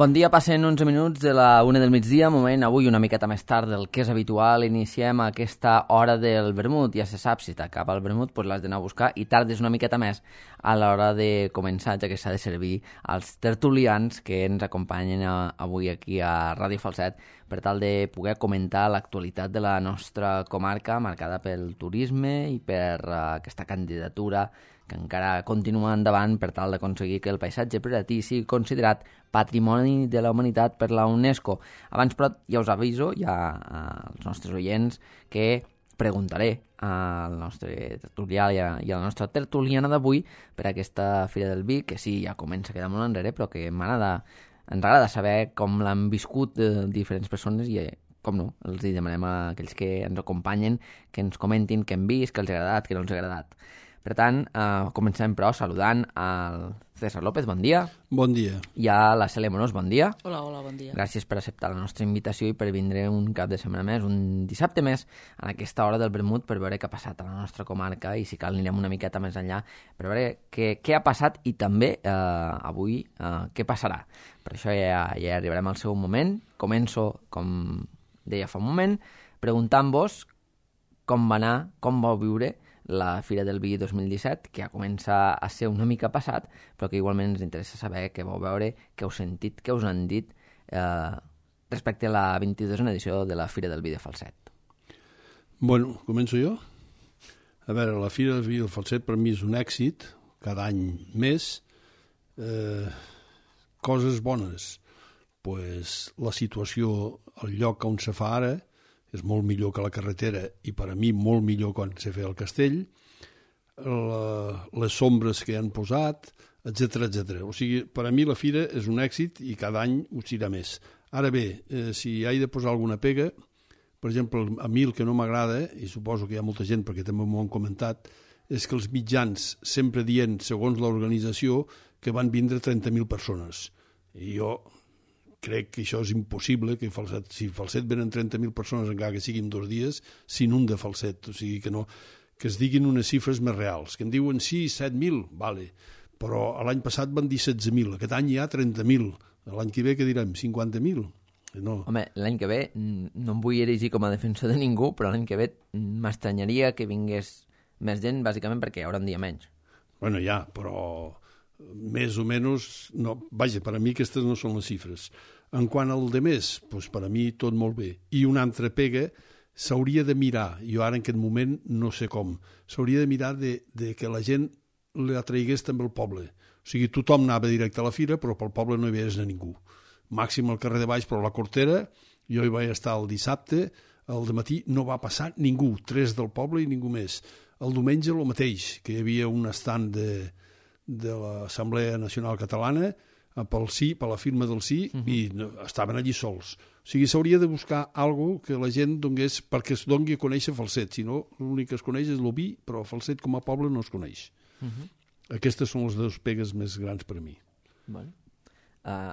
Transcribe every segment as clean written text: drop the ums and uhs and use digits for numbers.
Bon dia, passen 11 minuts de la 1 del migdia, moment avui una miqueta més tard del que és habitual. Iniciem aquesta hora del vermut. Ja se sap, si t'acaba el vermut, doncs l'has d'anar a buscar i tardes una miqueta més a l'hora de començar, ja que s'ha de servir als tertulians que ens acompanyen avui aquí a Ràdio Falset per tal de poder comentar l'actualitat de la nostra comarca marcada pel turisme i per aquesta candidatura que encara continua endavant per tal d'aconseguir que el paisatge priratí sigui considerat Patrimoni de la Humanitat per la UNESCO. Abans, però, ja us aviso, ja als nostres oients, que preguntaré al nostre tertulià i a la nostra tertuliana d'avui per aquesta Fira del Vi, que sí, ja comença a quedar molt enrere, però que ens agrada saber com l'han viscut diferents persones i com no, els demanem a aquells que ens acompanyen que ens comentin què han vist, què els ha agradat, què no els ha agradat. Per tant, comencem, però, saludant al César López, bon dia. Bon dia. I a la Cèlia Monós, bon dia. Hola, bon dia. Gràcies per acceptar la nostra invitació i per vindre un cap de setmana més, un dissabte més, en aquesta hora del vermut per veure què ha passat a la nostra comarca i, si cal, anirem una miqueta més enllà per veure què ha passat i també avui què passarà. Per això ja arribarem al seu moment. Començo, com deia fa un moment, preguntant-vos com va anar, com vau viure la Fira del Vi 2017, que ja comença a ser una mica passat, però que igualment ens interessa saber què vau veure, què heu sentit, què us han dit respecte a la 22a edició de la Fira del Vi de Falset. Bueno, començo jo? A veure, la Fira del Vi del Falset per mi és un èxit, cada any més. Coses bones. Pues la situació, el lloc on se fa ara, és molt millor que la carretera i per a mi molt millor quan se feia el castell, les sombres que han posat, etc etc. O sigui, per a mi la fira és un èxit i cada any ho serà més. Ara bé, si he de posar alguna pega, per exemple, a mi el que no m'agrada, i suposo que hi ha molta gent perquè també m'ho han comentat, és que els mitjans sempre dient, segons l'organització, que van vindre 30.000 persones. I jo crec que això és impossible, que si Falset venen 30.000 persones encara que siguin 2 dies, s'inunda Falset, o sigui que es diguin unes xifres més reals, que en diuen sí, 7.000, vale, però l'any passat van dir 16.000, aquest any hi ha 30.000, l'any que ve què direm, 50.000? No. Home, l'any que ve, no em vull erigir com a defensor de ningú, però l'any que ve m'estranyaria que vingués més gent, bàsicament perquè hi haurà un dia menys. Bueno, ja, però més o menys, no, vaja, per a mi aquestes no són les xifres. En quant al de més, doncs per a mi tot molt bé. I una altra pega, s'hauria de mirar, jo ara en aquest moment no sé com, s'hauria de mirar de que la gent l'atraigués també al poble. O sigui, tothom anava directe a la fira, però pel poble no hi veies a ningú. Màxim al carrer de baix, però a la Cortera, jo hi vaig estar el dissabte, al dematí no va passar ningú, 3 del poble i ningú més. El diumenge el mateix, que hi havia un estand de l'Assemblea Nacional Catalana pel sí, per la firma del sí, i estaven allí sols. O sigui, s'hauria de buscar alguna que la gent donés, perquè es doni a conèixer Falset, si no, l'únic que es coneix és l'Oví, però Falset com a poble no es coneix. Aquestes són les 2 pegues més grans per a mi. Bueno.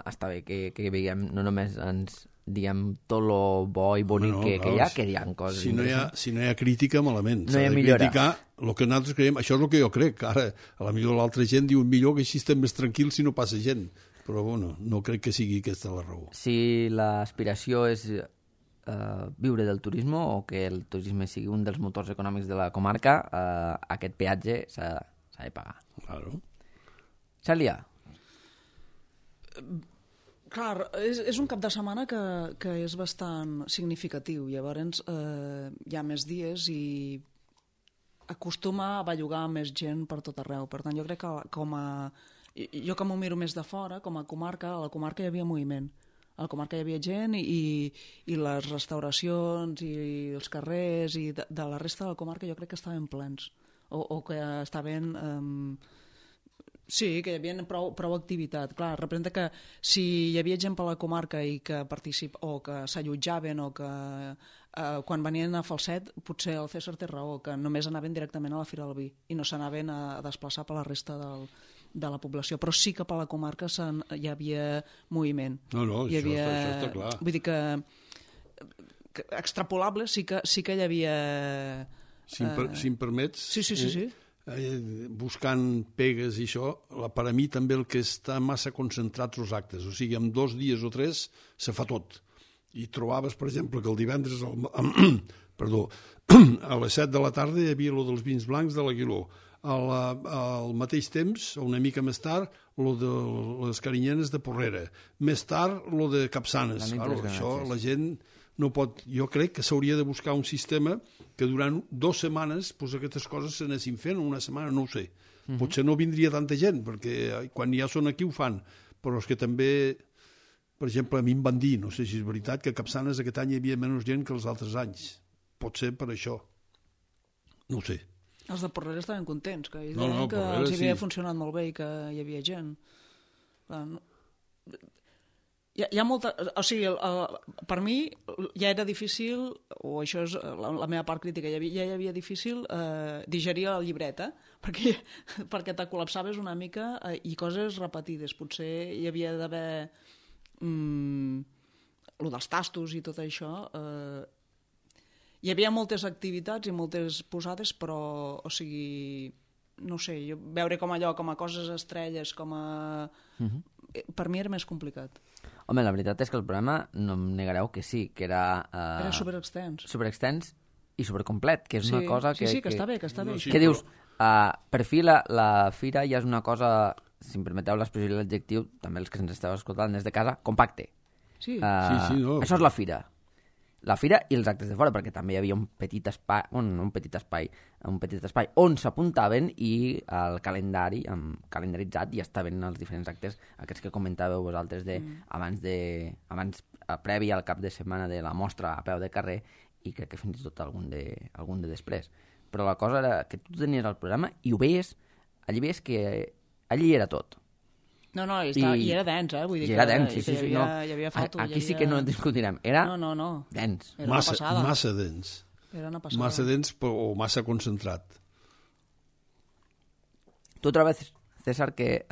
Està bé que veiem, no només ens diguem tot lo bo i bonic que hi ha, que hi ha coses interessants. Si no hi ha crítica, malament. No hi ha millora. S'ha de criticar el que nosaltres creiem. Això és el que jo crec. Ara, a la millor l'altra gent diu millor que així estem més tranquils si no passa gent. Però, bueno, no crec que sigui aquesta la raó. Si l'aspiració és viure del turisme o que el turisme sigui un dels motors econòmics de la comarca, aquest peatge s'ha de pagar. Claro. Cèlia? Clar, és un cap de setmana que és bastant significatiu. Llavors hi ha més dies i acostuma a bellugar més gent per tot arreu. Per tant, jo crec que jo que m'ho miro més de fora, com a comarca, a la comarca hi havia moviment. A la comarca hi havia gent i les restauracions i els carrers i de la resta de la comarca jo crec que estaven plens. O que estaven... Sí, que hi havia prou activitat. Clar, representa que si hi havia gent per la comarca i que o que s'allotjaven o que quan venien a Falset, potser el César té raó, que només anaven directament a la Fira del Vi i no s'anaven a desplaçar per la resta de la població. Però sí que per la comarca hi havia moviment. No, això està clar. Vull dir que extrapolable sí que hi havia... Si em permets... Sí. Buscant pegues i això, per a mi també el que està massa concentrats els actes, o sigui, en 2 dies o 3 se fa tot. I trobaves, per exemple, que el divendres a les 7 de la tarda hi havia lo dels vins blancs de l'Aguiló. Al mateix temps, una mica més tard, lo de les carinyenes de Porrera. Més tard, lo de Capçanes. Claro, això la gent no pot... Jo crec que s'hauria de buscar un sistema que durant 2 setmanes pues, aquestes coses s'anessin fent, una setmana, no ho sé. Potser no vindria tanta gent, perquè quan ja són aquí ho fan. Però és que també, per exemple, a mi em van dir, no sé si és veritat, que a Capçanes aquest any hi havia menys gent que els altres anys. Pot ser per això. No ho sé. Els de Porrera estaven contents, que ells deien que els havia funcionat molt bé i que hi havia gent. Hi ha molta... O sigui, per mi ja era difícil, o això és la meva part crítica, ja hi havia difícil digerir el llibret, perquè te col·lapsaves una mica i coses repetides. Potser hi havia d'haver... el dels tastos i tot això... Hi havia moltes activitats i moltes posades, però, o sigui, no sé, veure com allò, com a coses estrelles, com a... Per mi era més complicat. Home, la veritat és que el programa, no em negareu que sí, que era... Era superextens. Superextens i supercomplet, que és una cosa que... Sí, que està bé, que està bé. Què dius? Per fi la fira ja és una cosa, si em permeteu l'expressió i l'adjectiu, també els que ens esteu escoltant des de casa, compacte. Sí. No. Això és la fira. La fira i els actes de fora, perquè també hi havia un petit espai on s'apuntaven i el calendari calendaritzat i estaven els diferents actes, aquests que comentàveu vosaltres previ al cap de setmana de la mostra a peu de carrer i crec que fins i tot algun de després. Però la cosa era que tu tenies el programa i ho veies, allí veies que allí era tot. No, i era dens, Vull dir era dens, sí. Hi havia foto. Aquí sí que no discutirem. Era dens. Era una passada. Massa dens. Era una passada. Massa dens o massa concentrat. Tu trobes, César, que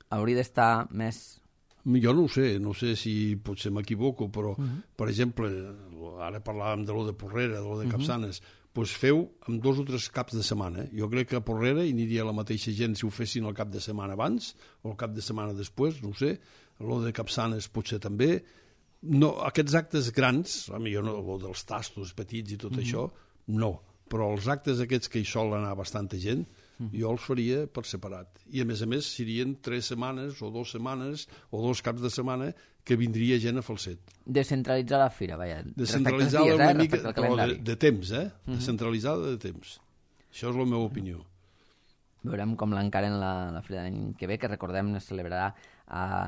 hauria d'estar més... Jo no ho sé si potser m'equivoco, però, per exemple, ara parlàvem de lo de Porrera, de lo de Capçanes, doncs feu amb 2 o 3 caps de setmana. Jo crec que a Porrera hi aniria la mateixa gent si ho fessin el cap de setmana abans o el cap de setmana després, no ho sé. Lo de Capçanes potser també. No, aquests actes grans, jo no, lo dels tastos petits i tot això, no. Però els actes aquests que hi sol anar bastanta gent, jo els faria per separat. I a més, serien 3 setmanes o 2 setmanes o 2 caps de setmana que vindria gent a Falset. Descentralitzar la fira, vaja. Descentralitzar-la una mica, però de temps, Descentralitzada de temps. Això és la meva opinió. Veurem com l'encaren la fira de l'any que ve, que recordem es celebrarà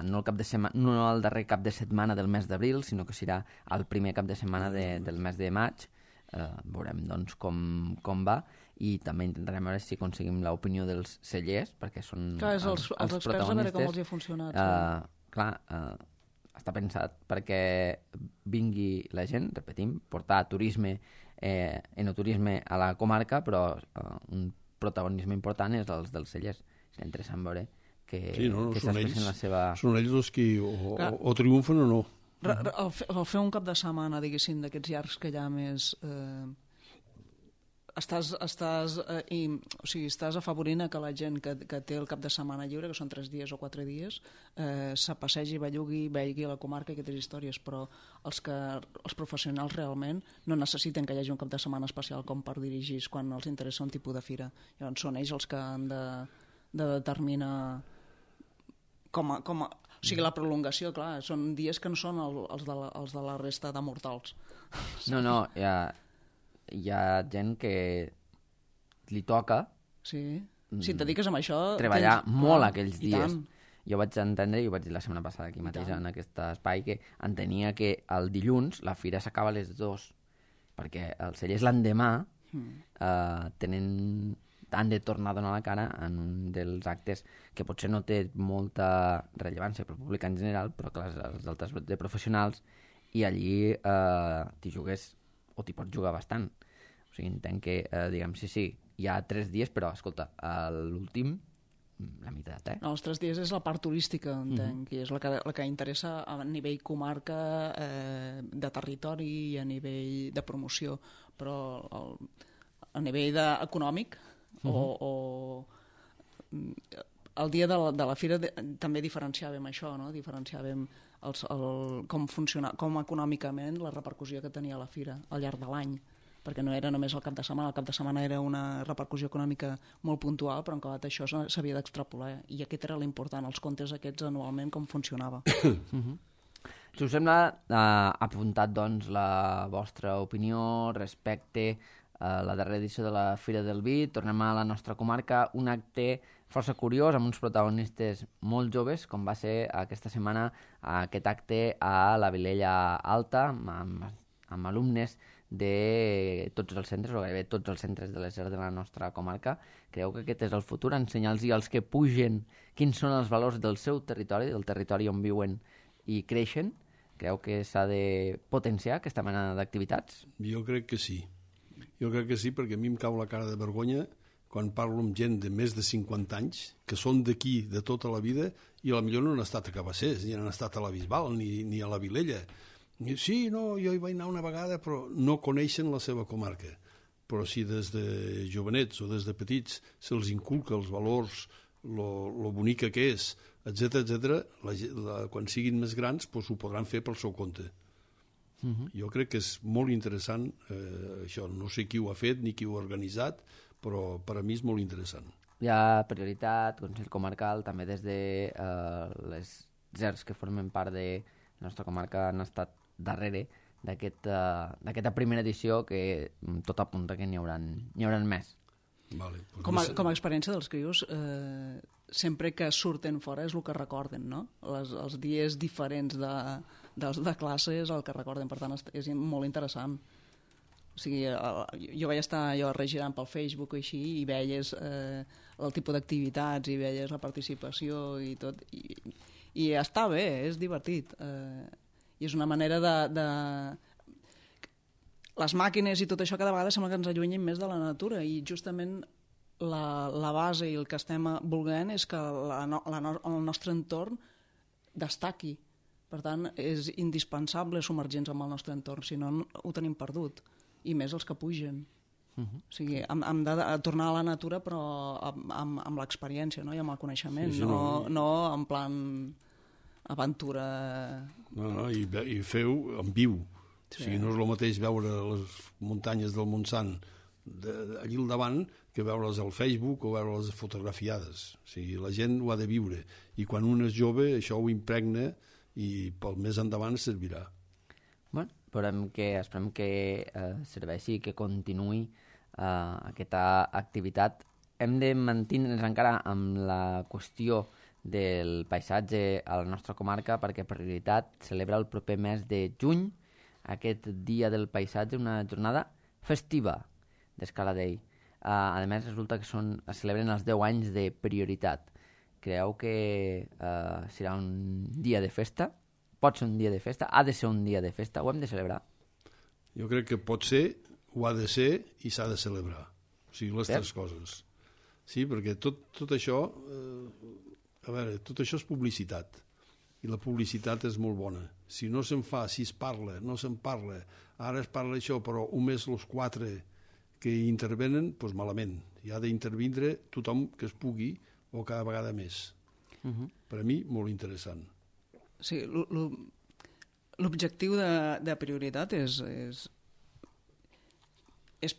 no el darrer cap de setmana del mes d'abril, sinó que serà el primer cap de setmana del mes de maig. Veurem doncs com va i també intentarem veure si aconseguim l'opinió dels cellers, perquè són els experts, a veure com els hi ha funcionat. Està pensat perquè vingui la gent, repetim, portar turisme, enoturisme a la comarca, però un protagonisme important és els dels cellers. És interessant veure que s'expressen la seva... Són ells els que o triomfen o no. El fer un cap de setmana, diguéssim, d'aquests llargs que hi ha més... Estàs afavorint que la gent que té el cap de setmana lliure, que són 3 dies o 4 dies, se passegi, bellugui, vegi la comarca i aquestes històries, però els professionals realment no necessiten que hi hagi un cap de setmana especial com per dirigir quan els interessa un tipus de fira. Llavors són ells els que han de determinar o sigui, la prolongació, clar, són dies que no són els de la resta de mortals. No, hi ha gent que li toca Sí, si et dediques amb això... treballar molt aquells i dies. tant. Jo vaig entendre, i ho vaig dir la setmana passada aquí mateix en aquest espai, que entenia que el dilluns la fira s'acaba a les 2, perquè els cellers l'endemà han de tornar a donar la cara en un dels actes que potser no té molta rellevància per al públic en general, però clar, els altres de professionals, i allí t'hi jugues o t'hi pots jugar bastant. O sigui, entenc que, diguem, sí, hi ha 3 dies, però, escolta, l'últim, la meitat, No, els 3 dies és la part turística, entenc, i és la que interessa a nivell comarca, de territori i a nivell de promoció, però a nivell econòmic o el dia de la fira també diferenciàvem això, no? Diferenciàvem com econòmicament la repercussió que tenia la fira al llarg de l'any, perquè no era només el cap de setmana era una repercussió econòmica molt puntual, però en acabat això s'havia d'extrapolar, i aquest era l'important, els comptes aquests anualment, com funcionava. Si us sembla, apuntat doncs la vostra opinió respecte a la darrera edició de la Fira del Vi. Tornem a la nostra comarca, un acte força curiós, amb uns protagonistes molt joves, com va ser aquesta setmana aquest acte a la Vilella Alta, amb alumnes de tots els centres, o gairebé tots els centres de l'ESER de la nostra comarca. Creu que aquest és el futur, ensenyar-los als que pugen quins són els valors del seu territori, del territori on viuen i creixen? Creu que s'ha de potenciar aquesta mena d'activitats? Jo crec que sí. Jo crec que sí, perquè a mi em cau la cara de vergonya quan parlo amb gent de més de 50 anys, que són d'aquí de tota la vida, i potser no han estat a Cabassers, ni han estat a la Bisbal, ni a la Vilella. Sí, no, jo hi vaig anar una vegada, però no coneixen la seva comarca. Però si des de jovenets o des de petits se'ls inculca els valors, lo bonica que és, etc., quan siguin més grans ho podran fer pel seu compte. Jo crec que és molt interessant això. No sé qui ho ha fet ni qui ho ha organitzat, però per a mi és molt interessant. Hi ha prioritat, Consell Comarcal, també des de les GERs que formen part de la nostra comarca han estat darrere d'aquesta primera edició, que tot apunta que n'hi hauran més. Vale, com a experiència dels crios, sempre que surten fora és el que recorden, no? Els dies diferents de classe és el que recorden, per tant és molt interessant. O sigui, jo vaig estar regirant pel Facebook o així, i veies el tipus d'activitats i veies la participació i tot, i està bé, és divertit, i és una manera de... Les màquines i tot això cada vegada sembla que ens allunyin més de la natura, i justament la base i el que estem volent és que el nostre entorn destaqui. Per tant, és indispensable submergir-nos en el nostre entorn, si no ho tenim perdut, i més els que pugen. O sigui, hem de tornar a la natura, però amb l'experiència, no? I amb el coneixement, sí, no en plan aventura... No, i feu en viu. Sí. O sigui, no és el mateix veure les muntanyes del Montsant allí al davant que veure's al Facebook o veure-les fotografiades. O sigui, la gent ho ha de viure. I quan un és jove, això ho impregna i pel més endavant servirà. Bueno, esperem que serveixi, que continuï aquesta activitat. Hem de mantenir-nos encara amb la qüestió del paisatge a la nostra comarca, perquè Prioritat celebra el proper mes de juny aquest Dia del Paisatge, una jornada festiva d'Escala Dei. A més, resulta que es celebren els 10 anys de Prioritat. Creu que serà un dia de festa? Pot ser un dia de festa? Ha de ser un dia de festa? Ho hem de celebrar? Jo crec que pot ser, ho ha de ser i s'ha de celebrar. O sigui, les tres coses. Sí, perquè tot això... A veure, tot això és publicitat. I la publicitat és molt bona. Si no se'n fa, si es parla, no se'n parla, ara es parla això, però només els 4 que hi intervenen, doncs malament. Hi ha d'intervindre tothom que es pugui o cada vegada més. Per a mi, molt interessant. Sí, l'objectiu de Prioritat és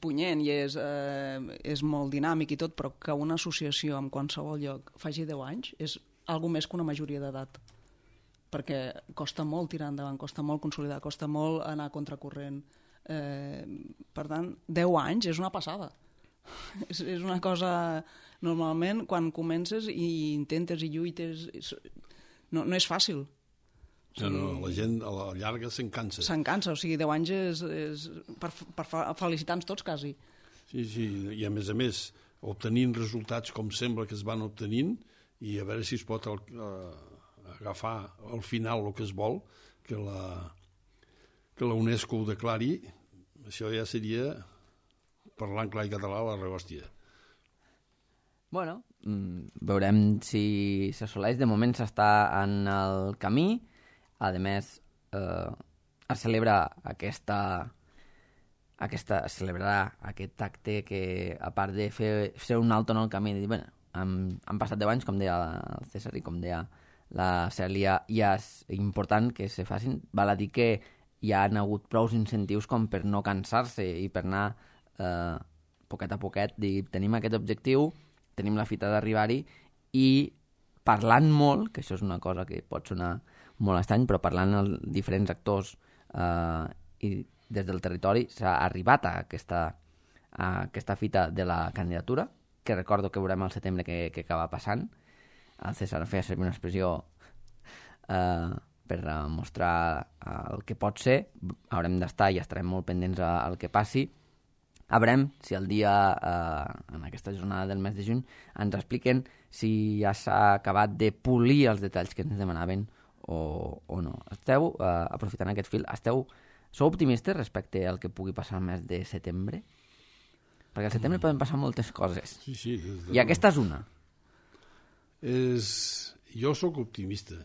punyent i és molt dinàmic i tot, però que una associació en qualsevol lloc faci 10 anys és alguna més que una majoria d'edat. Perquè costa molt tirar endavant, costa molt consolidar, costa molt anar a contracorrent. Per tant, 10 anys és una passada. És una cosa... Normalment, quan comences i intentes i lluites, no és fàcil. La gent a la llarga se'n cansa. Se'n cansa, o sigui, 10 anys és per felicitar-nos tots, quasi. Sí, i a més, obtenint resultats com sembla que es van obtenint, i a veure si es pot agafar al final el que es vol, que la UNESCO ho declari, això ja seria, parlant clar i català, la rehòstia. Bueno, veurem si s'assoleix. De moment s'està en el camí. A més, es celebra celebrarà aquest acte que, a part de fer un alto en el camí, de dir, bueno, han passat 10 anys, com deia el César i com deia la Cèlia, ja és important que se facin. Val a dir que hi ha hagut prou incentius com per no cansar-se i per anar poquet a poquet, dir, tenim aquest objectiu, tenim la fita d'arribar-hi, i parlant molt, que això és una cosa que pot sonar molt estrany, però parlant amb diferents actors i des del territori s'ha arribat a aquesta fita de la candidatura, que recordo que veurem al setembre que acaba passant. El César feia servir una expressió per mostrar el que pot ser. Haurem d'estar i estarem molt pendents al que passi. A veurem si el dia, en aquesta jornada del mes de juny, ens expliquen si ja s'ha acabat de polir els detalls que ens demanaven o no. Esteu, aprofitant aquest fil, sou optimistes respecte al que pugui passar el mes de setembre? Perquè al setembre poden passar moltes coses. Sí. I aquesta és una. Jo sóc optimista.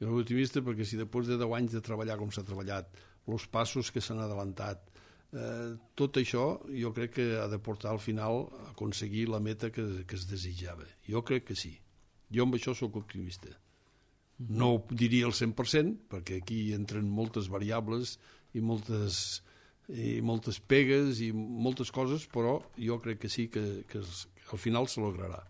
Jo sóc optimista perquè si després de 10 anys de treballar com s'ha treballat, els passos que s'han adelantat, tot això jo crec que ha de portar al final a aconseguir la meta que es desitjava. Jo crec que sí. Jo amb això sóc optimista. No ho diria al 100%, perquè aquí entren moltes variables i moltes pegues i moltes coses, però jo crec que sí que al final se lograrà.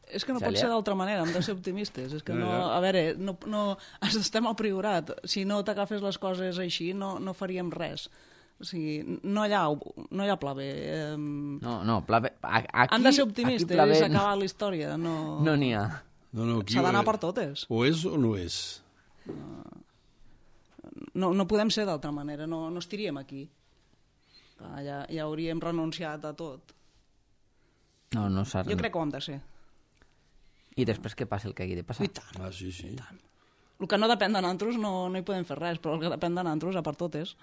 És que no pot ser d'altra manera, hem de ser optimistes. És que no, a veure, no estem al Priorat. Si no t'agafes les coses així, no faríem res. O sigui, no hi ha pla B. No, pla B. Han de ser optimistes, és acabar la història. No n'hi ha. S'ha d'anar per totes. O és o no és. No podem ser d'altra manera, no estiríem aquí. Ja hauríem renunciat a tot. No s'ha... Jo crec que ho hem de ser. I després què passa el que hagi de passar? I tant. Sí. I tant. El que no depèn de nosaltres no hi podem fer res, però el que depèn de nosaltres a per totes.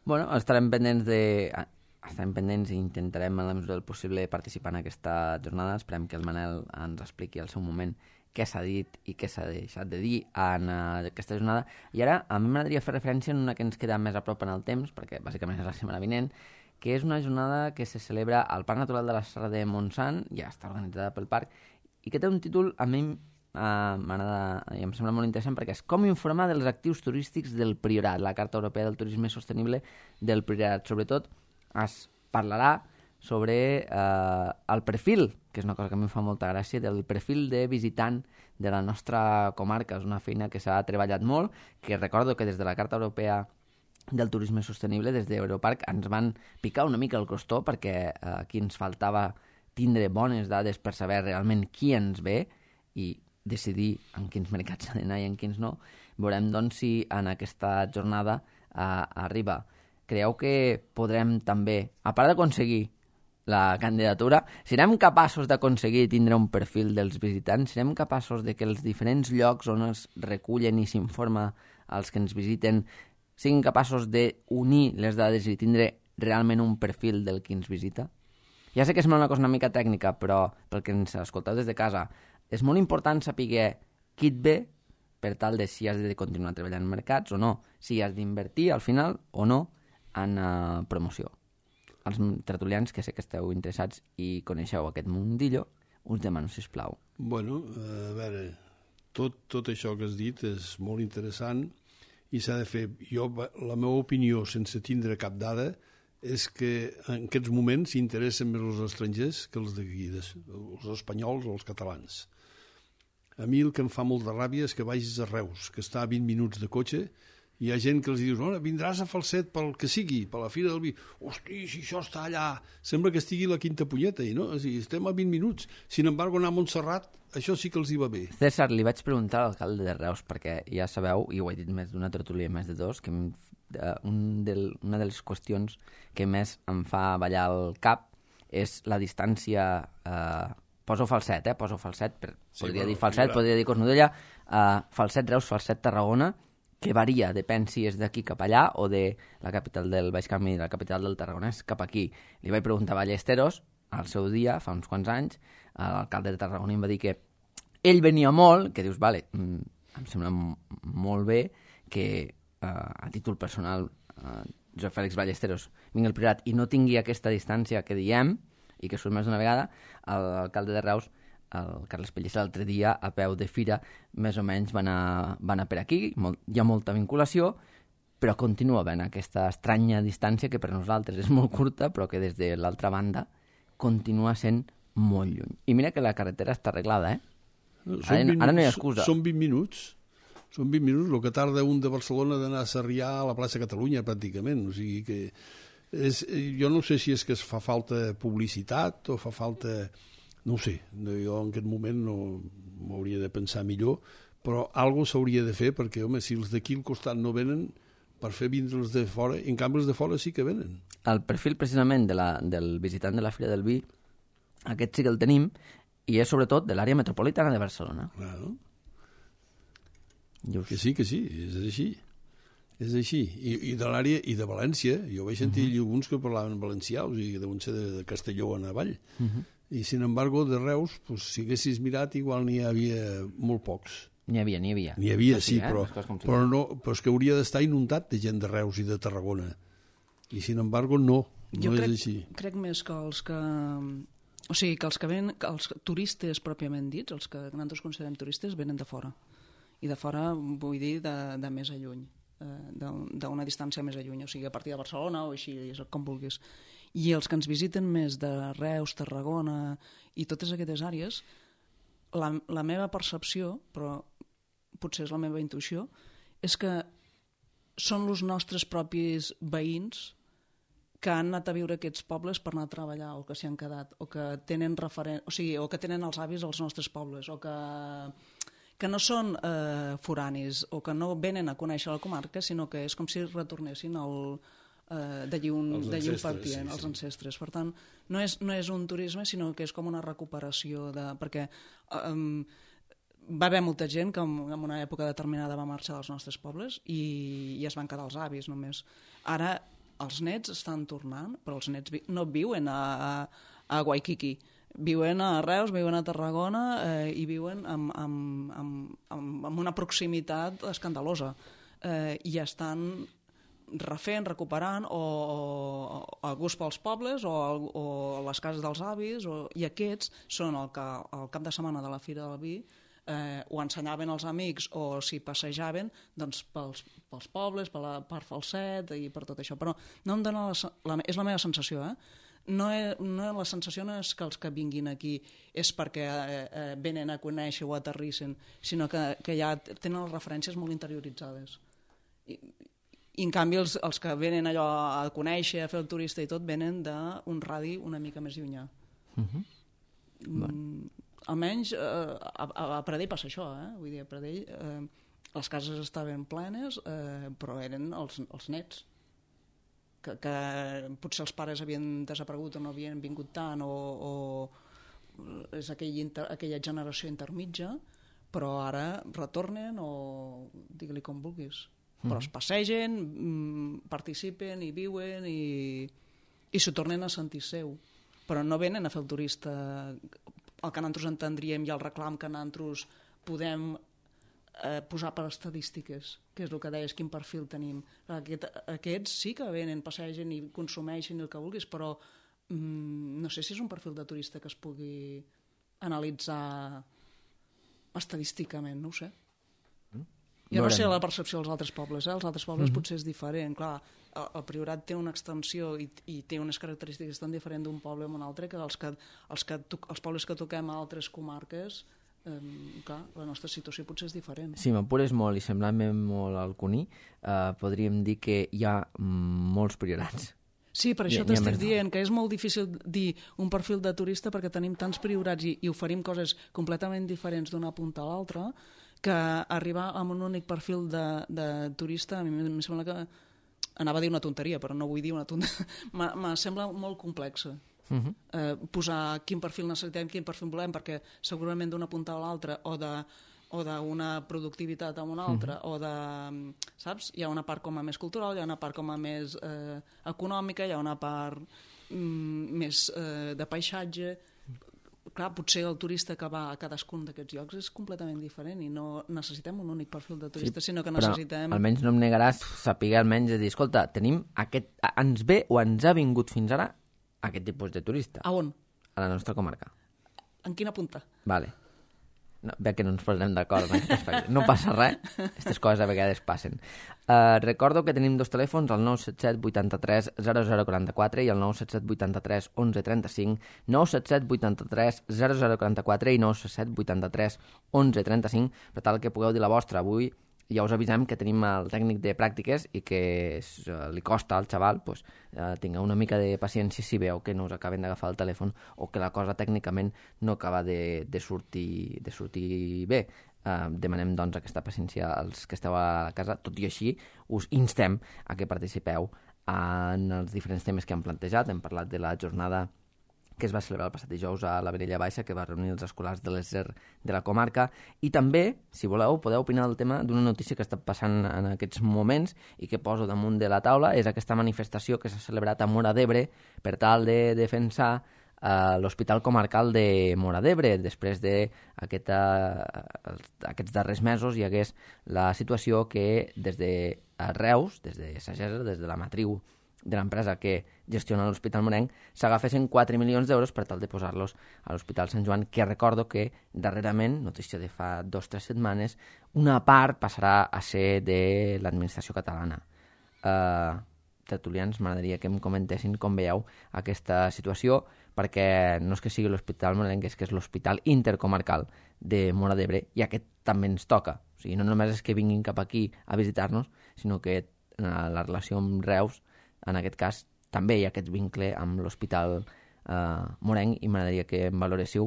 Bueno, estarem pendents i intentarem en la mesura del possible participar en aquesta jornada. Esperem que el Manel ens expliqui al seu moment què s'ha dit i què s'ha deixat de dir en aquesta jornada. I ara a mi m'agradaria fer referència en una que ens queda més a prop en el temps, perquè bàsicament és la setmana vinent, que és una jornada que se celebra al Parc Natural de la Serra de Montsant, ja està organitzada pel parc, i que té un títol, a mi m'agrada i em sembla molt interessant, perquè és com informar dels actius turístics del Priorat, la Carta Europea del Turisme Sostenible del Priorat. Sobretot es parlarà sobre el perfil, que és una cosa que a mi em fa molta gràcia, del perfil de visitant de la nostra comarca. És una feina que s'ha treballat molt, que recordo que des de la Carta Europea del Turisme Sostenible, des d'Europarc, ens van picar una mica el costó, perquè aquí ens faltava tindre bones dades per saber realment qui ens ve i decidir en quins mercats s'ha d'anar i en quins no. Veurem, doncs, si en aquesta jornada arriba. Creieu que podrem també, a part d'aconseguir la candidatura, serem capaços d'aconseguir tindre un perfil dels visitants? Serem capaços de que els diferents llocs on es recullen i s'informa als que ens visiten siguin capaços d'unir les dades i tindre realment un perfil del qui ens visita? Ja sé que sembla una cosa una mica tècnica, però pel que ens escolteu des de casa, és molt important saber qui et ve per tal de si has de continuar treballant en mercats o no, si has d'invertir al final o no en promoció. Els tertulians, que sé que esteu interessats i coneixeu aquest mundillo, us demano, sisplau. Bueno, a veure, tot això que has dit és molt interessant i s'ha de fer. La meva opinió, sense tindre cap dada, és que en aquests moments s'interessen més els estrangers que els d'aquí, els espanyols o els catalans. A mi el que em fa molt de ràbia és que vagis a Reus, que està a 20 minuts de cotxe, i hi ha gent que els dius, vindràs a Falset pel que sigui, per la Fira del Vi. Hosti, si això està allà, sembla que estigui la quinta punyeta, i no? Estem a 20 minuts. Sin embargo, anar a Montserrat, això sí que els hi va bé. César, li vaig preguntar a l'alcalde de Reus, perquè ja sabeu, i ho he dit més d'una tertúlia, més de dos, que una de les qüestions que més em fa ballar el cap és la distància... Poso Falset, podria dir Falset, podria dir Cornudella, Falset, Reus, Falset, Tarragona, que varia, depèn si és d'aquí cap allà o de la capital del Baix Camp i la capital del Tarragonès cap aquí. Li vaig preguntar a Ballesteros, al seu dia, fa uns quants anys, l'alcalde de Tarragona em va dir que ell venia molt, que dius, vale, em sembla molt bé que a títol personal Josep Fèlix Ballesteros vingui al Priorat i no tingui aquesta distància que diem, i que surt més d'una vegada, l'alcalde de Reus, el Carles Pellicer, l'altre dia, a peu de fira, més o menys van a per aquí, hi ha molta vinculació, però continua havent aquesta estranya distància que per nosaltres és molt curta, però que des de l'altra banda continua sent molt lluny. I mira que la carretera està arreglada, Ara no hi ha excusa. Són 20 minuts. Són 20 minuts, el que tarda un de Barcelona d'anar a Sarrià a la plaça Catalunya, pràcticament. O sigui que... jo no sé si és que es fa falta publicitat o fa falta... No ho sé, jo en aquest moment no m'hauria de pensar millor, però alguna cosa s'hauria de fer perquè, home, si els d'aquí al costat no venen, per fer vindre els de fora, en canvi els de fora sí que venen. El perfil precisament del visitant de la Fira del Vi, aquest sí que el tenim, i és sobretot de l'àrea metropolitana de Barcelona. Claro. Que sí, és així. És així. I de l'àrea, i de València. Jo vaig sentir alguns que parlaven valencià, o sigui, deuen ser de Castelló en avall. I, sin embargo, de Reus, pues, si haguessis mirat, igual n'hi havia molt pocs. N'hi havia. N'hi havia, sí, però és que hauria d'estar inundat de gent de Reus i de Tarragona. I, sin embargo, no és així. Crec més que els que... O sigui, que els que ven, que els turistes pròpiament dits, els que nosaltres considerem turistes, venen de fora. I de fora vull dir de més a lluny, d'una distància més a lluny, o sigui, a partir de Barcelona o així, com vulguis. I els que ens visiten més de Reus, Tarragona i totes aquestes àrees, la meva percepció, però potser és la meva intuïció, és que són els nostres propis veïns que han anat a viure aquests pobles per anar a treballar o que s'hi han quedat, o que tenen o que tenen els avis als nostres pobles, o que no són foranis o que no venen a conèixer la comarca, sinó que és com si retornessin d'allí on partien, els ancestres. Per tant, no és un turisme, sinó que és com una recuperació, perquè va haver molta gent que en una època determinada va marxar dels nostres pobles i es van quedar els avis només. Ara els nets estan tornant, però els nets no viuen a Waikiki, viuen a Reus, viuen a Tarragona i viuen amb una proximitat escandalosa i estan refent, recuperant o a gust pels pobles o les cases dels avis, i aquests són el cap de setmana de la Fira del Vi ho ensenyaven als amics o si passejaven doncs, pels pobles, per Falset i per tot això, però no em dona és la meva sensació, la sensació no és que els que vinguin aquí és perquè venen a conèixer o aterrissen, sinó que ja tenen les referències molt interioritzades. I en canvi els que venen allò a conèixer, a fer el turista i tot, venen d'un radi una mica més llunyà. Almenys a Pradell passa això, vull dir, a Pradell les cases estaven plenes, però eren els nets, que potser els pares havien desaparegut o no havien vingut tant, o és aquella generació intermitja, però ara retornen o digue-li com vulguis. Però es passegen, participen i viuen i s'ho tornen a sentir seu. Però no venen a fer el turista el que nosaltres entendríem i el reclam que nosaltres podem posar per estadístiques, que és el que deies, quin perfil tenim. Aquests sí que venen, passegen i consumeixen el que vulguis, però no sé si és un perfil de turista que es pugui analitzar estadísticament, no ho sé. Jo no sé la percepció dels altres pobles, els altres pobles potser és diferent. Clar, el Priorat té una extensió i té unes característiques tan diferents d'un poble a un altre que els pobles que toquem a altres comarques clar, la nostra situació potser és diferent. Si m'apures molt i semblant-me molt al Cuní, podríem dir que hi ha molts priorats. Sí, per això t'estic dient que és molt difícil dir un perfil de turista perquè tenim tants priorats i oferim coses completament diferents d'una punta a l'altra que arribar amb un únic perfil de turista a mi em sembla que... Anava a dir una tonteria, però no vull dir una tonteria. Me sembla molt complexa. Posar quin perfil necessitem, quin perfil volem, perquè segurament d'una punta a l'altra o d'una productivitat a una altra, o de, saps? Hi ha una part com a més cultural, hi ha una part com a més econòmica, hi ha una part més de paisatge. Clar, potser el turista que va a cadascun d'aquests llocs és completament diferent i no necessitem un únic perfil de turista, sinó que necessitem... Però almenys no em negaràs saber almenys de dir, escolta, tenim ens ve o ens ha vingut fins ara aquest tipus de turista. A on? A la nostra comarca. En quina punta? Vale. No, veig que no ens posarem d'acord en aquest aspecte. No passa res, aquestes coses a vegades passen. Recordo que tenim dos telèfons, el 977 83 0044 i el 977 83 11 35, 977 83 0044 i 977 83 11 35, per tal que pugueu dir la vostra. Avui ja us avisem que tenim el tècnic de pràctiques i que li costa al xaval tinga una mica de paciència si veu que no us acaben d'agafar el telèfon o que la cosa tècnicament no acaba de sortir bé. Demanem doncs aquesta paciència als que esteu a casa, tot i així us instem a que participeu en els diferents temes que hem plantejat. Hem parlat de la jornada que es va celebrar el passat dijous a la Vilella Baixa, que va reunir els escolars de l'ESER de la comarca, i també, si voleu, podeu opinar del tema d'una notícia que està passant en aquests moments i que poso damunt de la taula, és aquesta manifestació que s'ha celebrat a Móra d'Ebre per tal de defensar l'Hospital Comarcal de Móra d'Ebre. Després d'aquests darrers mesos hi hagués la situació que des de Reus, des de Sagesa, des de la matriu de l'empresa que gestiona l'Hospital Morenc, s'agafessin 4 milions d'euros per tal de posar-los a l'Hospital Sant Joan, que recordo que darrerament, notícia de fa 2 o 3 setmanes, una part passarà a ser de l'administració catalana. Tertulians, m'agradaria que em comentessin com veieu aquesta situació, perquè no és que sigui l'Hospital Morenc, és que és l'Hospital Intercomarcal de Móra d'Ebre, i aquest també ens toca. O sigui, no només és que vinguin cap aquí a visitar-nos, sinó que la relació amb Reus, en aquest cas, també hi ha aquest vincle amb l'Hospital Morenc, i m'agradaria que em valoréssiu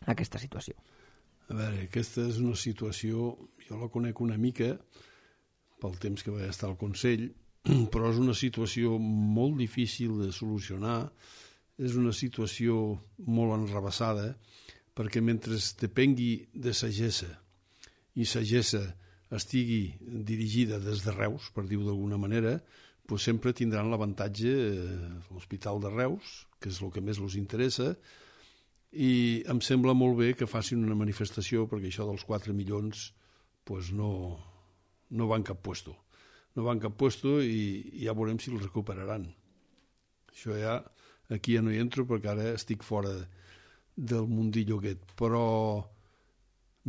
aquesta situació. A veure, aquesta és una situació, jo la conec una mica pel temps que vaig estar al Consell, però és una situació molt difícil de solucionar, és una situació molt enrabassada, perquè mentre depengui de Sagesa i Sagesa estigui dirigida des de Reus, per dir-ho d'alguna manera, doncs sempre tindran l'avantatge l'Hospital de Reus, que és el que més els interessa, i em sembla molt bé que facin una manifestació, perquè això dels 4 milions doncs no va en cap puesto. No va en cap puesto i ja veurem si els recuperaran. Això ja, aquí ja no hi entro perquè ara estic fora del mundillo aquest, però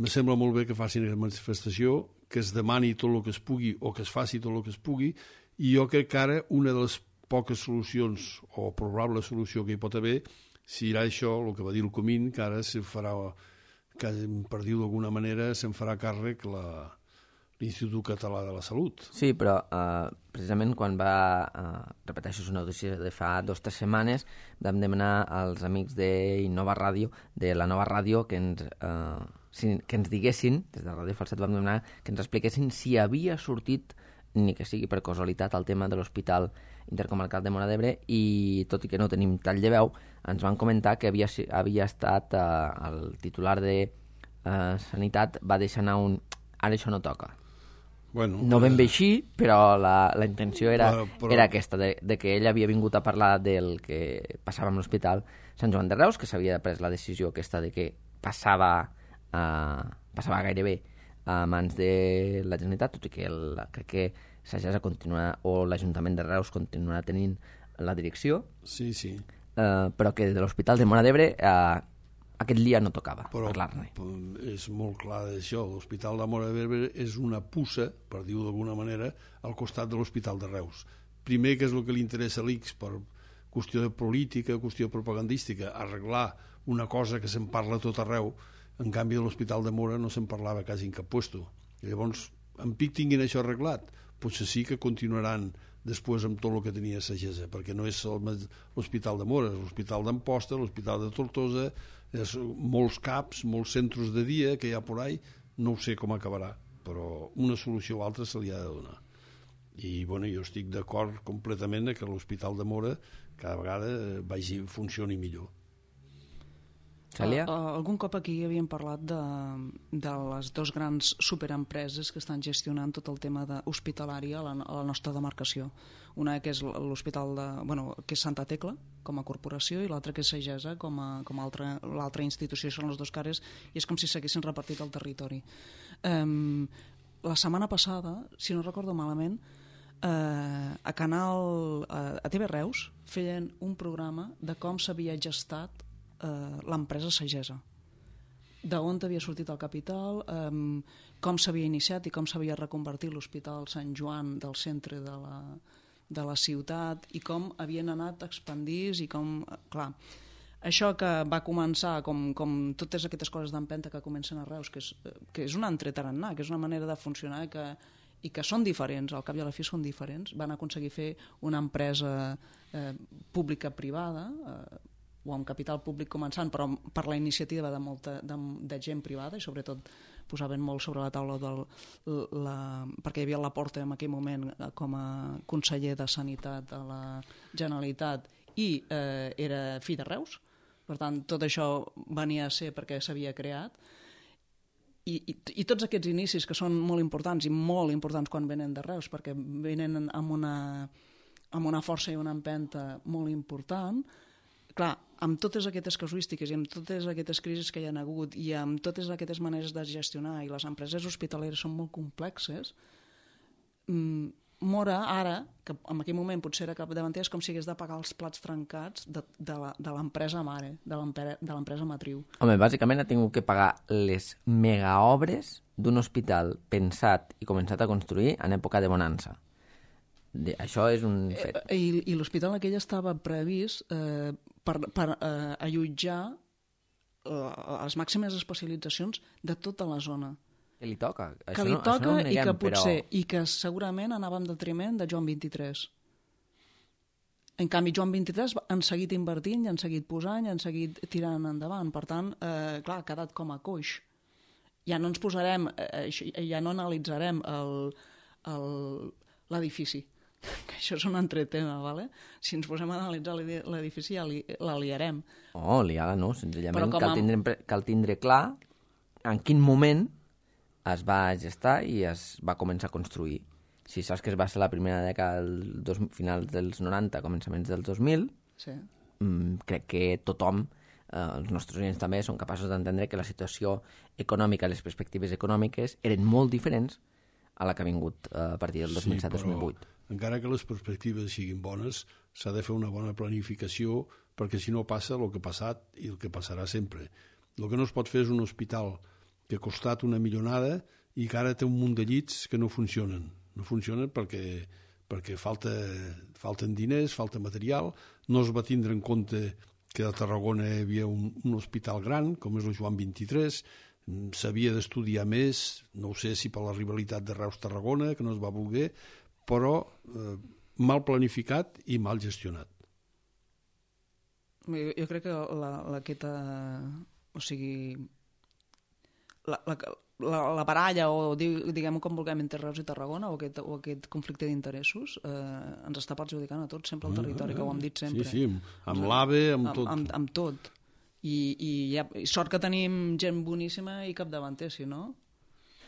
me sembla molt bé que facin aquesta manifestació, que es demani tot el que es pugui o que es faci tot el que es pugui. I jo crec que ara una de les poques solucions, o probable solució que hi pot haver, serà això, el que va dir el Comín, que ara se farà, que, per dir-ho d'alguna manera, se'n farà càrrec l'Institut Català de la Salut. Sí, però precisament quan repeteixo, és una notícia de fa 2 o 3 setmanes, vam demanar als amics d'Innova Ràdio, de la nova ràdio, que ens diguessin, des de Ràdio Falset vam demanar que ens expliquessin si havia sortit, ni que sigui per casualitat, el tema de l'Hospital Intercomarcal de Móra d'Ebre, i tot i que no tenim tall de veu, ens van comentar que havia estat el titular de Sanitat va deixar anar ara això no toca. Bueno, no ben bé així, però la intenció era aquesta, de que ell havia vingut a parlar del que passava amb l'Hospital Sant Joan de Reus, que s'havia pres la decisió aquesta de que passava gairebé a mans de la Generalitat, tot i que crec que Sagesa continua, o l'Ajuntament de Reus continuarà tenint la direcció. Sí. Però que de l'Hospital de Móra d'Ebre aquest dia no tocava parlar-ne. És molt clar d'això. L'Hospital de Móra d'Ebre és una puça, per dir-ho d'alguna manera, al costat de l'Hospital de Reus. Primer, que és el que li interessa a l'ICS per qüestió de política, qüestió propagandística, arreglar una cosa que se'n parla tot arreu, En canvi, a l'Hospital de Móra no se'n parlava quasi en cap puesto. I llavors, en pic tinguin això arreglat, potser sí que continuaran després amb tot el que tenia Sagessa, perquè no és l'Hospital de Móra, és l'Hospital d'Amposta, l'Hospital de Tortosa, és molts CAPs, molts centres de dia que hi ha por ahí, no ho sé com acabarà, però una solució o altra se li ha de donar. I bueno, jo estic d'acord completament que l'Hospital de Móra cada vegada funcioni millor. Cèlia? Algun cop aquí havíem parlat de les dues grans superempreses que estan gestionant tot el tema hospitalari a la nostra demarcació. Una que és l'hospital que és Santa Tecla, com a corporació, i l'altra que és Sagessa, com l'altra institució. Són les dues cares, i és com si s'haguessin repartit el territori. La setmana passada, si no recordo malament, a TV Reus feien un programa de com s'havia gestat l'empresa Sagessa, d'on havia sortit el capital, com s'havia iniciat i com s'havia reconvertit l'Hospital Sant Joan del centre de la ciutat i com havien anat expandits i com, clar, això que va començar com totes aquestes coses d'empenta que comencen a Reus, que és un entretarannà, que és una manera de funcionar i que són diferents, al cap i a la fi són diferents, van aconseguir fer una empresa pública-privada, o amb capital públic començant, però per la iniciativa de gent privada, i sobretot posaven molt sobre la taula perquè hi havia la Porta en aquell moment com a conseller de Sanitat de la Generalitat i era fill de Reus, per tant tot això venia a ser perquè s'havia creat, i tots aquests inicis que són molt importants i molt importants quan venen de Reus, perquè venen amb una força i una empenta molt important. Clar, amb totes aquestes casuístiques i amb totes aquestes crisis que hi ha hagut i amb totes aquestes maneres de gestionar, i les empreses hospitaleres són molt complexes, Móra ara, que en aquell moment potser era capdavanter, és com si hagués de pagar els plats trencats de l'empresa mare, de l'empresa matriu. Home, bàsicament ha tingut que pagar les megaobres d'un hospital pensat i començat a construir en època de bonança. Això és un fet. I l'hospital aquell estava previst per allotjar les màximes especialitzacions de tota la zona. Que li toca. Que li toca i que potser, i que segurament anava en detriment de Joan 23. En canvi, Joan 23 han seguit invertint, i han seguit posant, i han seguit tirant endavant. Per tant, clar, ha quedat com a coix. Ja no ens posarem, ja no analitzarem l'edifici. Que això és un altre tema, ¿vale? Si ens posem a analitzar l'edifici ja la liarem. Oh, liar-la no, senzillament cal tindre clar en quin moment es va gestar i es va començar a construir. Si saps que es va ser la primera dècada finals dels 90, començaments dels 2000, sí. Crec que tothom, els nostres oients també, són capaços d'entendre que la situació econòmica, les perspectives econòmiques eren molt diferents a la que ha vingut a partir del 2007-2008. Encara que les perspectives siguin bones, s'ha de fer una bona planificació, perquè si no passa el que ha passat i el que passarà sempre. El que no es pot fer és un hospital que ha costat una milionada i que ara té un munt de llits que no funcionen. No funcionen perquè falten diners, falta material, no es va tindre en compte que a Tarragona hi havia un hospital gran, com és el Joan 23, s'havia d'estudiar més, no ho sé si per la rivalitat de Reus-Tarragona, que no es va voler, però mal planificat i mal gestionat. Jo crec que o sigui, la baralla, o diguem com vulguem, entre Reus i Tarragona, o aquest conflicte d'interessos, ens està perjudicant a tots, sempre al territori, que ho hem dit sempre. Sí, amb l'AVE, amb tot. Amb tot. I sort que tenim gent boníssima i capdavanter, si no?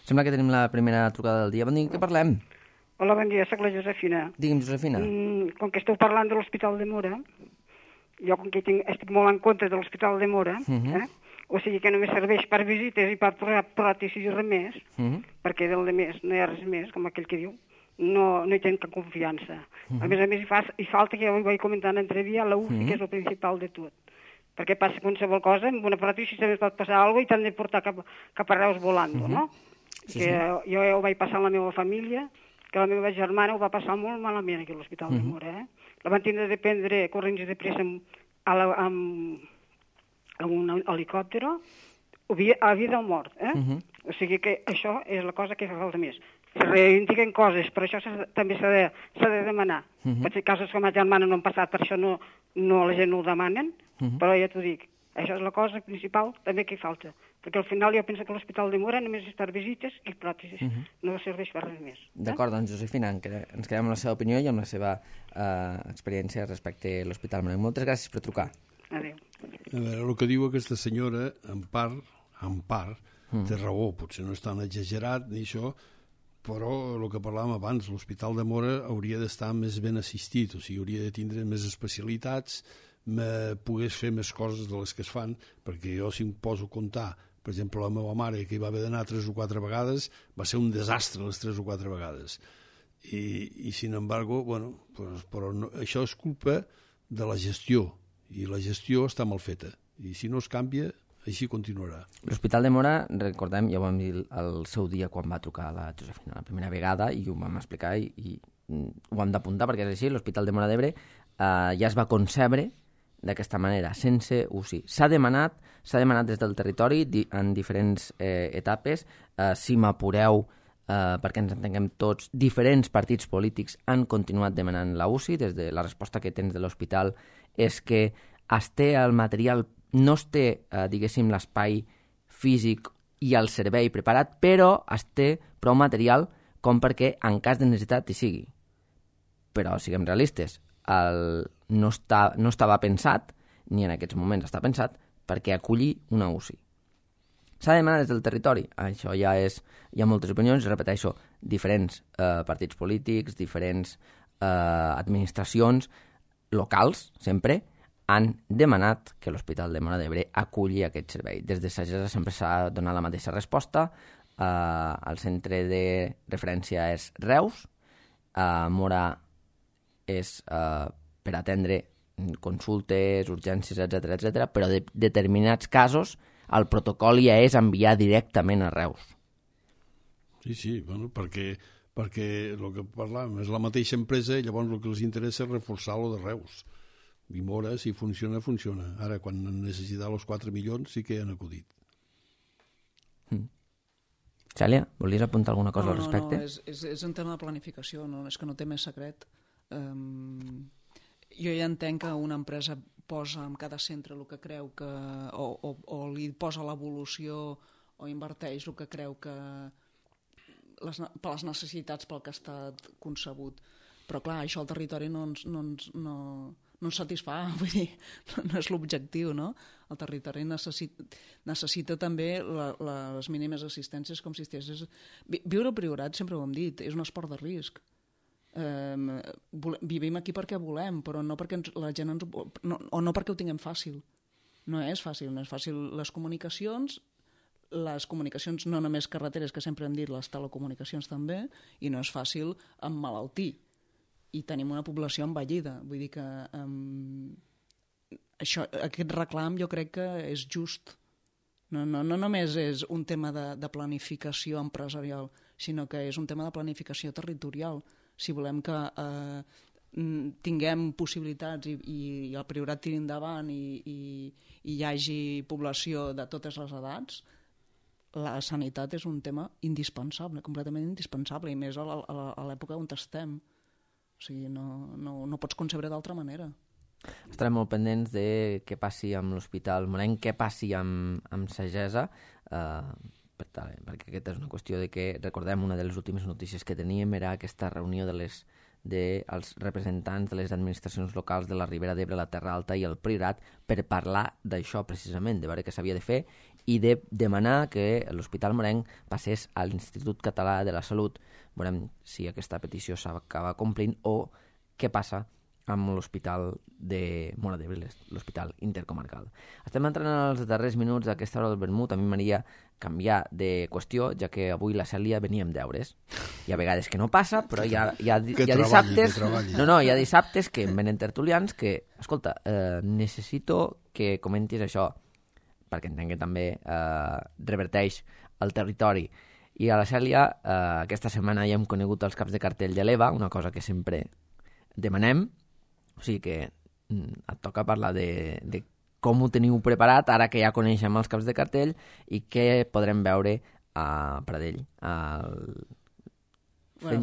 Sembla que tenim la primera trucada del dia. Bon dia, què parlem? Hola, bon dia, soc la Josefina. Digui'm, Josefina. Com que esteu parlant de l'Hospital de Móra, jo com que estic molt en contra de l'Hospital de Móra, o sigui que només serveix per visites i per pròtesis i res més, perquè del més no hi ha res més, com aquell que diu, no hi tenen cap confiança. A més, hi falta, que ja ho vaig comentar en entrevia, la UCI, que és el principal de tot. Perquè passa qualsevol cosa, amb una pròtesi també pot passar alguna cosa i t'han de portar cap a Reus volant, no? Jo ho vaig passar a la meva família, que la meva germana ho va passar molt malament aquí a l'Hospital de Móra. La van tindre de prendre corrents de pressa amb un helicòpter, a vida o mort. O sigui que això és la cosa que fa falta més. Se reivindiquen coses, però això també s'ha de demanar. Pot ser casos com a germana no han passat, per això no la gent no ho demanen, però ja t'ho dic, això és la cosa principal també que hi falta. Perquè al final jo penso que l'Hospital de Mora només és per visites i pròtesis, no serveix per res més. D'acord, doncs Josefina, ens quedem amb la seva opinió i amb la seva experiència respecte a l'Hospital Morenc. Moltes gràcies per trucar. Adéu. A veure, el que diu aquesta senyora, en part, té raó, potser no és tan exagerat ni això, però el que parlàvem abans, l'Hospital de Mora hauria d'estar més ben assistit, o sigui, hauria de tindre més especialitats, pogués fer més coses de les que es fan, perquè jo si em poso a comptar, per exemple, la meva mare, que hi va haver d'anar 3 o 4 vegades, va ser un desastre les 3 o 4 vegades. I sin embargo, bueno, però no, això és culpa de la gestió, i la gestió està mal feta, i si no es canvia, així continuarà. L'Hospital de Mora, recordem, ja ho vam dir el seu dia quan va trucar la Josefina la primera vegada i ho vam explicar i ho hem d'apuntar perquè és així, l'Hospital de Móra d'Ebre ja es va concebre d'aquesta manera, sense UCI. S'ha demanat des del territori en diferents etapes, si m'apureu, perquè ens entenguem tots, diferents partits polítics han continuat demanant la UCI, des de la resposta que tens de l'hospital és que es té el material, no es té, diguéssim, l'espai físic i el servei preparat, però es té prou material com perquè en cas de necessitat hi sigui. Però siguem realistes, no estava pensat, ni en aquests moments està pensat, perquè aculli una UCI. S'ha de demanar des del territori. Això hi ha moltes opinions, repeteixo, diferents partits polítics, diferents administracions locals, sempre, han demanat que l'Hospital de Móra d'Ebre aculli aquest servei. Des de Sagessa sempre s'ha donat la mateixa resposta. El centre de referència és Reus. Móra és per atendre consultes, urgències, etc, però de determinats casos el protocol ja és enviar directament a Reus. Sí, bueno, perquè el que parlàvem és la mateixa empresa i llavors el que els interessa és reforçar-lo de Reus. I Móra, si funciona, funciona. Ara, quan han necessitat els 4 milions, sí que han acudit. Cèlia, volies apuntar alguna cosa al respecte? No, és un tema de planificació, no, és que no té més secret. Jo ja entenc que una empresa posa en cada centre el que creu que o li posa l'evolució o inverteix el que creu que per les necessitats pel que ha estat concebut. Però clar, això al territori no ens satisfà, vull dir, no és l'objectiu, no? El territori necessita també les mínimes assistències com si estigués... Viure al Priorat, sempre ho hem dit, és un esport de risc. Vivim aquí perquè volem, però no perquè la gent no perquè ho tinguem fàcil. No és fàcil. Les comunicacions no només carreteres, que sempre hem dit, les telecomunicacions també, i no és fàcil emmalaltir. I tenim una població envellida. Vull dir que aquest reclam jo crec que és just. No només és un tema de planificació empresarial, sinó que és un tema de planificació territorial. Si volem que tinguem possibilitats i el Priorat tiri endavant i hi hagi població de totes les edats, la sanitat és un tema indispensable, completament indispensable, i més a l'època on estem. O sigui, no pots concebre d'altra manera. Estarem molt pendents de què passi amb l'Hospital Morenc, què passi amb Sagessa, perquè aquesta és una qüestió de que, recordem, una de les últimes notícies que teníem era aquesta reunió dels representants de les administracions locals de la Ribera d'Ebre, la Terra Alta i el Priorat per parlar d'això precisament, de veure què s'havia de fer i de demanar que l'Hospital Morenc passés a l'Institut Català de la Salut. Veurem si aquesta petició s'acaba complint o què passa amb l'Hospital de Móra d'Ebre, l'Hospital Intercomarcal. Estem entrant als darrers minuts d'aquesta hora del vermut. A mi m'agradaria canviar de qüestió, ja que avui la Cèlia venia amb deures. Hi ha vegades que no passa, però hi ha dissabtes... hi ha dissabtes que em venen tertulians que, escolta, necessito que comentis això, perquè entenc que també reverteix el territori. I a la Cèlia, aquesta setmana ja hem conegut els caps de cartell de l'EVA, una cosa que sempre demanem, o sigui que et toca parlar de com ho teniu preparat, ara que ja coneixem els caps de cartell, i què podrem veure a Pradell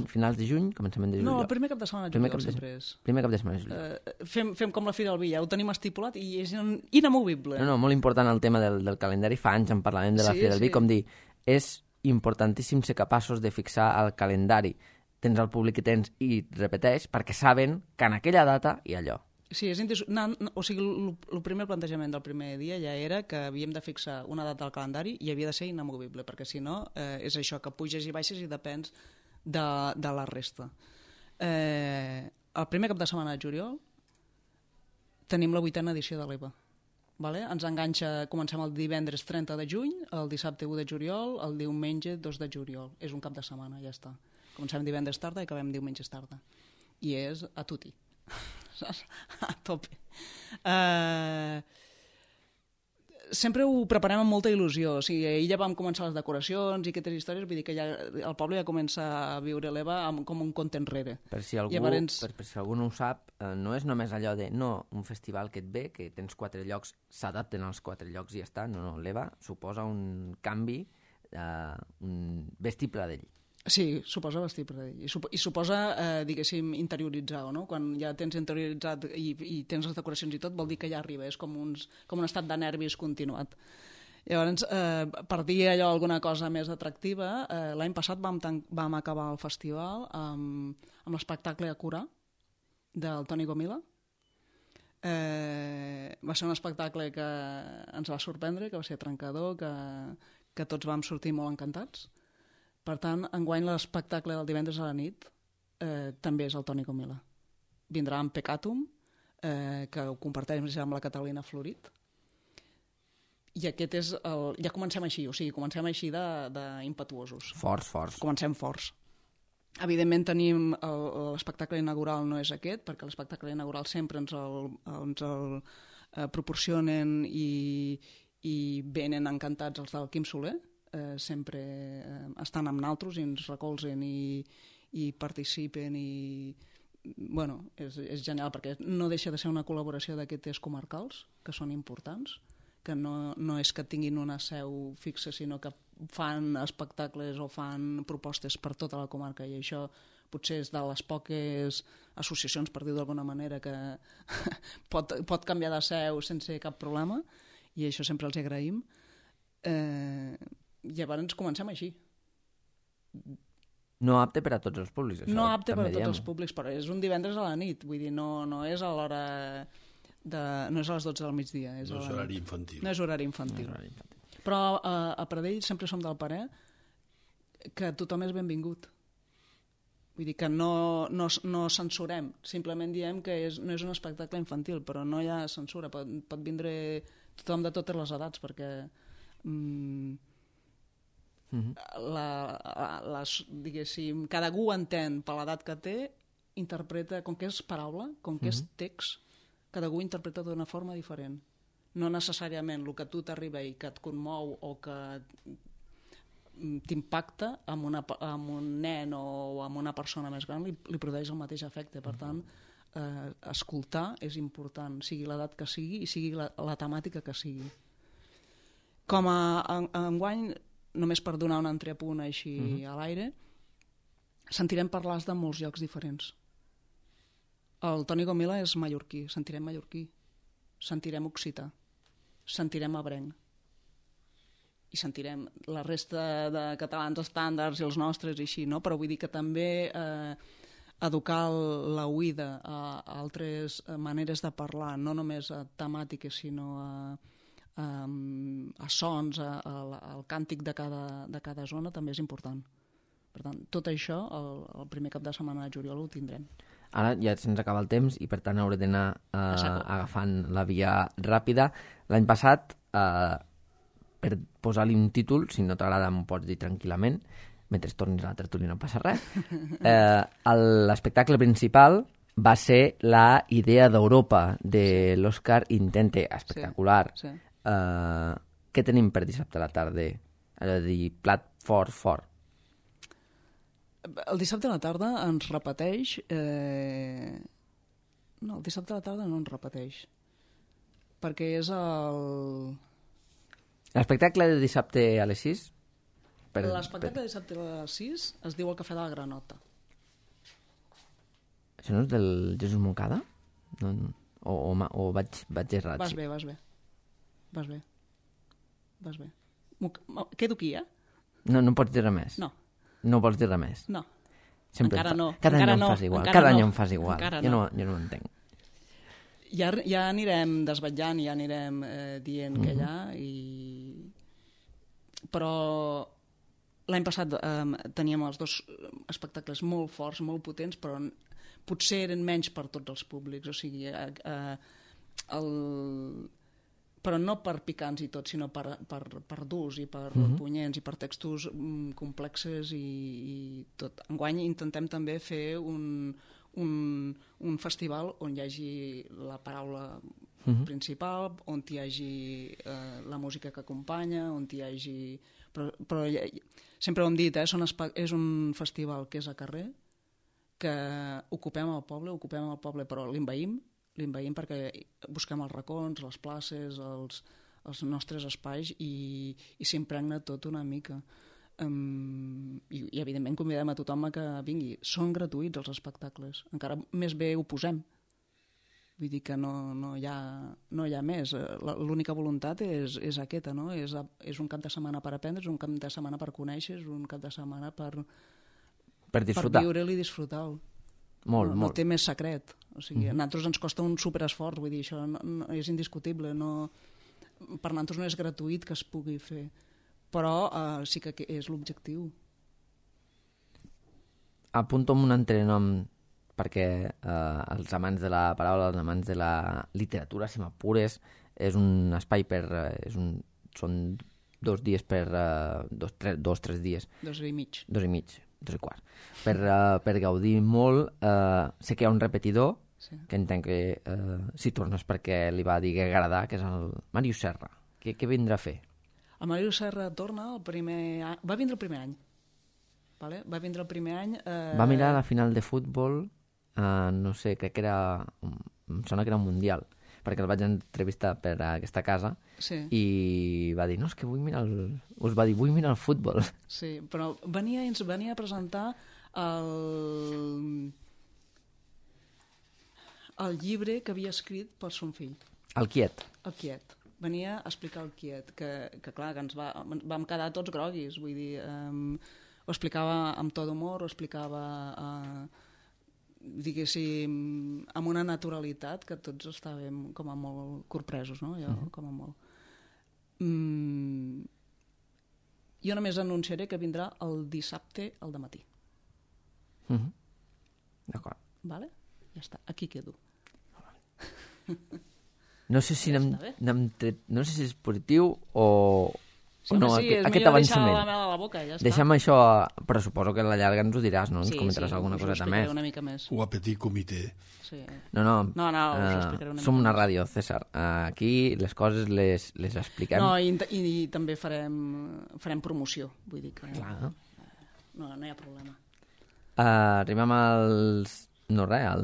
finals de juny, començament de juliol. No, el primer cap de setmana de juliol sempre és. Primer cap de setmana de juliol. Fem com la Fira del Vi, ja ho tenim estipulat i és inamovible. No, molt important el tema del calendari. Fa anys en parlàvem de la Fira del Vi, com dir, és importantíssim ser capaços de fixar el calendari. Tens el públic que tens i repeteix, perquè saben que en aquella data hi ha allò. Sí, o sigui, el primer plantejament del primer dia ja era que havíem de fixar una data al calendari i havia de ser inamovible, perquè si no és això, que puges i baixes i depens de la resta. El primer cap de setmana de juliol tenim la 8a edició de l'EVA. Vale? Ens enganxa, comencem el divendres 30 de juny, el dissabte 1 de juliol, el diumenge 2 de juliol. És un cap de setmana, ja està. Comencem divendres tarda i acabem diumenges tarda. I és a tutti. A tope. Sempre ho preparem amb molta il·lusió. O sigui, ahir ja vam començar les decoracions i aquestes històries, vull dir que ja el poble ja comença a viure l'EVA com un conte enrere. Per si algú no ho sap, no és només allò de un festival que et ve, que tens 4 llocs, s'adapten als 4 llocs i ja està. No, l'EVA suposa un canvi, un vestir Pradell. Sí, suposa vestir Pradell. I suposa, diguéssim, interioritzar, no? Quan ja tens interioritzat i tens les decoracions i tot, vol dir que ja arriba, és com un estat de nervis continuat. Llavors, per dir allò alguna cosa més atractiva, l'any passat vam acabar el festival amb l'espectacle a Curà del Toni Gomila. Va ser un espectacle que ens va sorprendre, que va ser trencador, que tots vam sortir molt encantats. Per tant, enguany l'espectacle del divendres a la nit també és el Toni Gomila. Vindrà amb Peccatum, que ho comparteix amb la Catalina Florit. I aquest és ja comencem així, o sigui, comencem així d'impetuosos. Forts. Comencem forts. Evidentment tenim l'espectacle inaugural no és aquest, perquè l'espectacle inaugural sempre ens el proporcionen i venen encantats els del Quim Soler, sempre estan amb naltros i ens recolzen i participen i bueno, és genial perquè no deixa de ser una col·laboració d'aquests comarcals que són importants, que no és que tinguin una seu fixa sinó que fan espectacles o fan propostes per tota la comarca i això potser és de les poques associacions, per dir-ho d'alguna manera, que pot canviar de seu sense cap problema i això sempre els agraïm. Llavors comencem així. No apte per a tots els públics. Això no apte per a tots els públics, però és un divendres a la nit, vull dir, no és a l'hora no és a les 12 del migdia. No és horari infantil. No és horari infantil. Però a Pradell sempre som del parer que tothom és benvingut. Vull dir que no censurem, simplement diem que no és un espectacle infantil, però no hi ha censura, pot vindre tothom de totes les edats, perquè diguéssim, cada algú entén per l'edat que té, interpreta, com que és paraula, com que és text, cada algú interpreta d'una forma diferent. No necessàriament el que a tu t'arriba i que et conmou o que t'impacta amb un nen o amb una persona més gran li produeix el mateix efecte. Per tant, escoltar és important, sigui l'edat que sigui i sigui la temàtica que sigui. Com a enguany, només per donar un entrepunt així a l'aire, sentirem parlar de molts llocs diferents. El Toni Gomila és mallorquí, sentirem mallorquí, sentirem occità, sentirem ebrenc i sentirem la resta de catalans estàndards i els nostres i així, no? Però vull dir que també educar l'oïda a altres maneres de parlar, no només a temàtiques sinó a sons, al càntic de cada zona també és important. Per tant, tot això el primer cap de setmana de juliol ho tindrem. Ara ja se'ns acaba el temps i per tant hauré d'anar agafant la via ràpida. L'any passat, per posar-li un títol, si no t'agrada m'ho pots dir tranquil·lament, mentre tornis a la tertúlia no passa res, l'espectacle principal va ser la idea d'Europa de l'Òscar Intente, espectacular. Sí. Què tenim per dissabte a la tarda? Allò de dir plat fort. El dissabte a la tarda ens repeteix... No, el dissabte a la tarda no ens repeteix. perquè és el... L'espectacle de dissabte a les 6? L'espectacle de dissabte a les 6 es diu El Cafè de la Granota. Això no és del Jesús Moncada? No, o vaig errat? Vas bé. Quedo aquí, No pots dir res més? No. No vols dir res més? No. Sempre encara no. Cada encara any no. em fas igual. Encara Cada no. any em fas igual. Jo no ho entenc. Ja anirem desvetllant, ja anirem dient què hi ha, però l'any passat teníem els 2 espectacles molt forts, molt potents, però potser eren menys per tots els públics, o sigui, però no per picants i tot, sinó per durs i per punyents i per textos complexes i tot. Enguany intentem també fer un festival on hi hagi la paraula principal, on hi hagi la música que acompanya, on hi hagi... Però sempre ho hem dit, és un festival que és a carrer, que ocupem el poble, però l'invaïm perquè busquem els racons, les places, els nostres espais i s'impregna tot una mica. I evidentment convidem a tothom que vingui. Són gratuïts els espectacles, encara més bé ho posem. Vull dir que no hi ha més. L'única voluntat és aquesta, no? És un cap de setmana per aprendre, és un cap de setmana per conèixer, és un cap de setmana per viure-lo i disfrutar-lo. Molt. No té més secret. O sigui, a nosaltres ens costa un superesforç, vull dir, això no és indiscutible. Per nosaltres no és gratuït que es pugui fer, però sí que és l'objectiu. Apunto amb un altre nom, perquè els amants de la paraula, els amants de la literatura, si m'apures, és un espai són 2 dies per 2-3 dies. 2 i mig. 2 i mig, 2 i quart. Per gaudir molt. Sé que hi ha un repetidor, sí, que entenc que si tornes perquè li va dir que agradar, que és el Màrius Serra. Què vindrà a fer? El Màrius Serra torna el primer any. Va vindre el primer any. Vale? Va vindre el primer any... Va mirar la final de futbol, no sé, crec que era... Em sona que era un mundial, perquè el vaig entrevistar per aquesta casa, sí, i va dir, no, és que vull mirar el futbol. Sí, però ens venia a presentar el llibre que havia escrit per son fill. El Quiet. El Quiet. Venia a explicar el Quiet, que clar, que vam quedar tots groguis, vull dir, ho explicava amb to d'humor, ho explicava, diguéssim, amb una naturalitat que tots estàvem com a molt corpresos, no? Jo, com a molt. Jo només anunciaré que vindrà el dissabte al dematí. D'acord. Vale? Ja està, aquí quedo. No sé si no sé si és positiu o no, sí, aquest avançament. La mel a la boca, ja està. Deixa'm això, però suposo que a la llarga ens ho diràs, no? Ens comentaràs alguna coseta més. Una mica més. O a petit comitè. Sí. No, us explicaré una mica som una més. ràdio, César. Aquí les coses les expliquem. No, i també farem promoció, vull dir que... Clar. No hi ha problema. Arribem al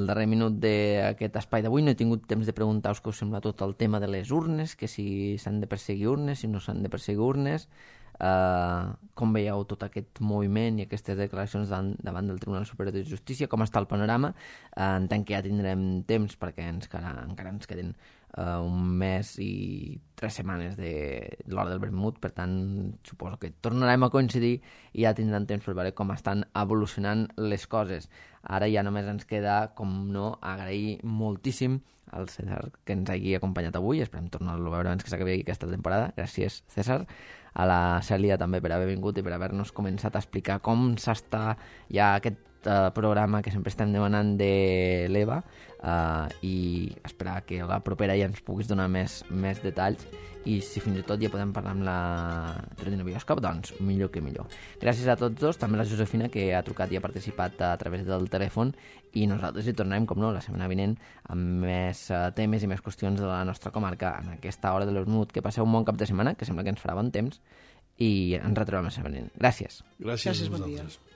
darrer minut d'aquest espai d'avui. No he tingut temps de preguntar-vos què us sembla tot el tema de les urnes, que si s'han de perseguir urnes, si no s'han de perseguir urnes, com veieu tot aquest moviment i aquestes declaracions davant del Tribunal Superior de Justícia, com està el panorama. Entenc que ja tindrem temps perquè encara ens queden un mes i 3 setmanes de l'hora del vermut, per tant suposo que tornarem a coincidir i ja tindrem temps per veure com estan evolucionant les coses. Ara ja només ens queda, com no, agrair moltíssim al César que ens hagi acompanyat avui. Esperem tornar-lo a veure abans que s'acabi aquesta temporada. Gràcies, César. A la Cèlia també per haver vingut i per haver-nos començat a explicar com s'està ja aquest programa que sempre estem demanant de l'Eva, i esperar que a la propera ja ens puguis donar més detalls, i si fins i tot ja podem parlar amb la Tredino Bioscop, doncs millor que millor. Gràcies a tots dos, també la Josefina, que ha trucat i ha participat a través del telèfon, i nosaltres hi tornarem, com no, la setmana vinent amb més temes i més qüestions de la nostra comarca en aquesta hora de l'Vermut. Que passeu un bon cap de setmana, que sembla que ens farà bon temps, i ens retrobem la setmana vinent. Gràcies. Gràcies a bon dia. vosaltres.